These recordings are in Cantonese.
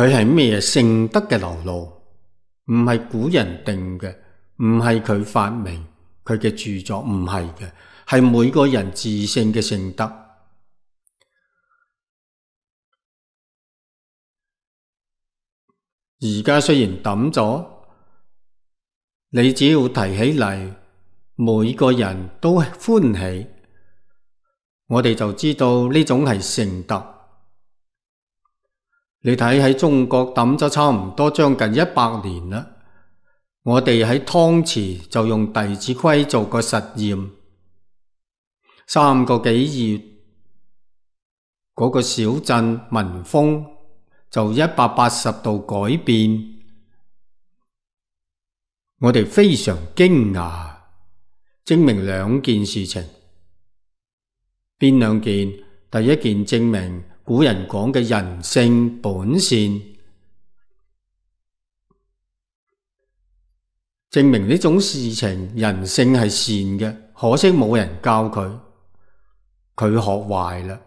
佢係咩聖德嘅流露，唔係古人定嘅，唔係佢發明佢嘅著作，唔係嘅，係每個人自性嘅聖德。而家雖然抌咗，你只要提起嚟，每個人都歡喜，我哋就知道呢種係聖德。你睇喺中國抌咗差唔多將近100年啦，我哋喺湯池就用《弟子規》做個實驗，3個幾月嗰個小鎮民風就180度改變，我哋非常驚訝，證明2件事情。邊2件？第一件證明古人講嘅人性本善，證明呢種事情人性係善嘅，可惜冇人教佢，佢學壞啦。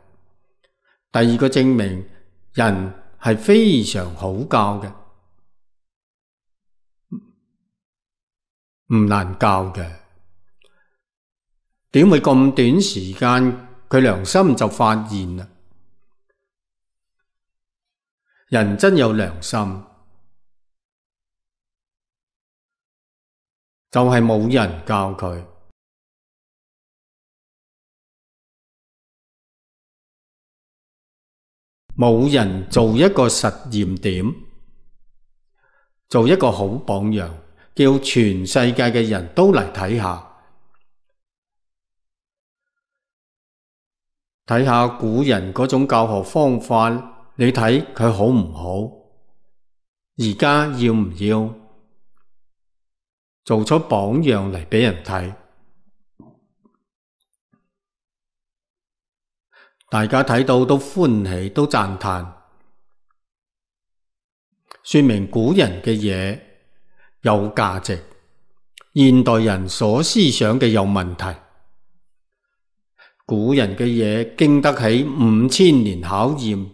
第二個證明人係非常好教嘅，唔難教嘅。點會咁短時間佢良心就發現啦？人真有良心，就係冇人教佢。冇人做一個實驗點，做一個好榜樣，叫全世界嘅人都嚟睇下，睇下古人嗰種教學方法。你睇佢好唔好？而家要唔要做出榜樣嚟俾人睇？大家睇到都歡喜，都讚嘆，說明古人嘅嘢有價值，現代人所思想嘅有問題。古人嘅嘢經得起5000年考驗，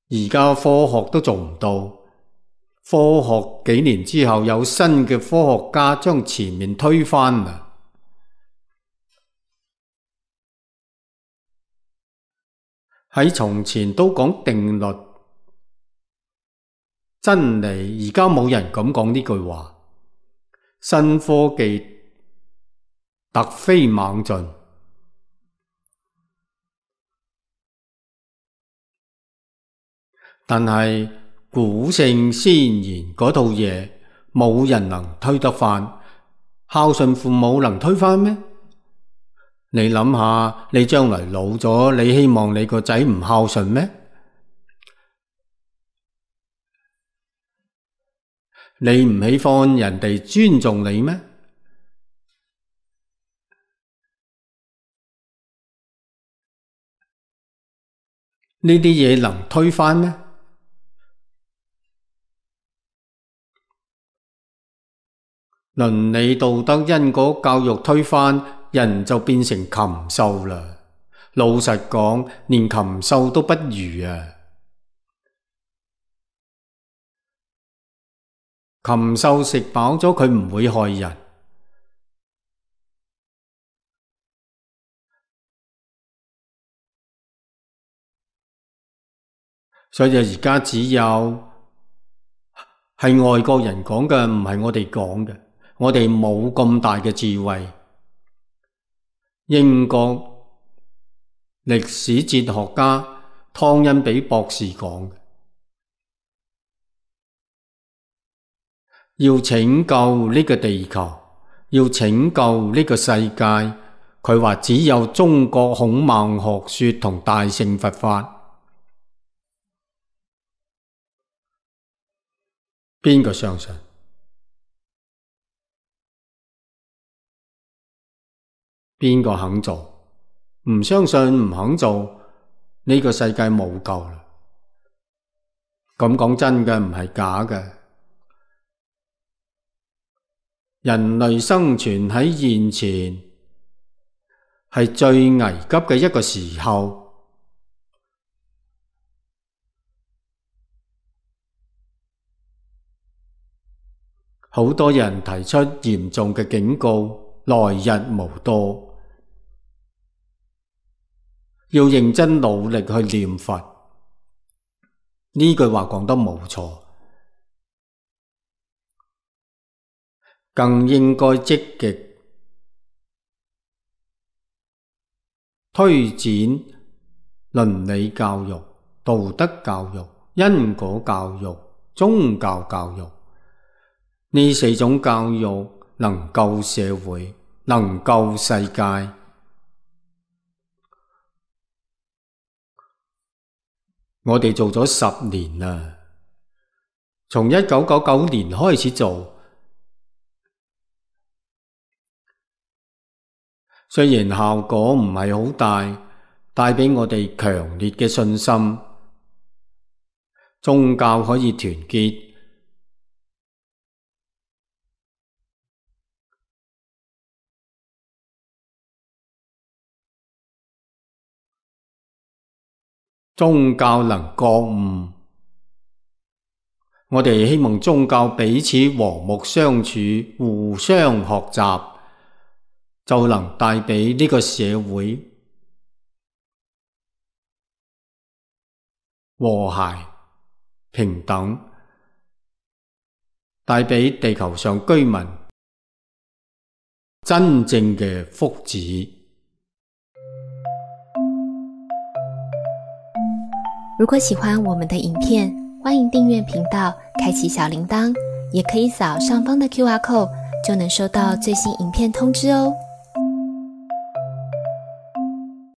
而家科學都做唔到。科學幾年之後有新嘅科學家將前面推翻啦。喺從前都講定律真理，而家冇人敢講呢句話。新科技突飛猛進，但係古聖先賢嗰套嘢冇人能推得翻。孝順父母能推翻咩？你諗下，你將來老咗，你希望你個仔唔孝順咩？你唔喜歡人哋尊重你咩？呢啲嘢能推翻咩？倫理道德因果教育推翻，人就變成禽獸啦。老實講，連禽獸都不如啊！禽獸食飽咗，佢唔會害人。所以而家只有係外國人講嘅，唔係我哋講嘅。我哋冇咁大嘅智慧。英國歷史哲學家湯恩比博士講嘅，要拯救呢個地球，要拯救呢個世界，佢話只有中國孔孟學說同大乘佛法。邊個相信？邊個肯做？唔相信唔肯做，呢個世界冇救啦。咁講真嘅，唔係假嘅。人類生存喺現前係最危急嘅一個時候。好多人提出嚴重嘅警告，來日無多，要認真努力去念佛。呢句話講得冇錯，更應該積極推展倫理教育、道德教育、因果教育、宗教教育。呢4種教育能救社會，能救世界。我哋做咗10年啦，從1999年開始做，雖然效果唔係好大，帶俾我哋強烈嘅信心，宗教可以團結。宗教能覺悟，我哋希望宗教彼此和睦相處，互相學習，就能帶俾呢個社會和諧平等，帶俾地球上居民真正嘅福祉。如果喜歡我們的影片，歡迎訂閱頻道，開啟小鈴鐺，也可以掃上方的QR code，就能收到最新影片通知哦。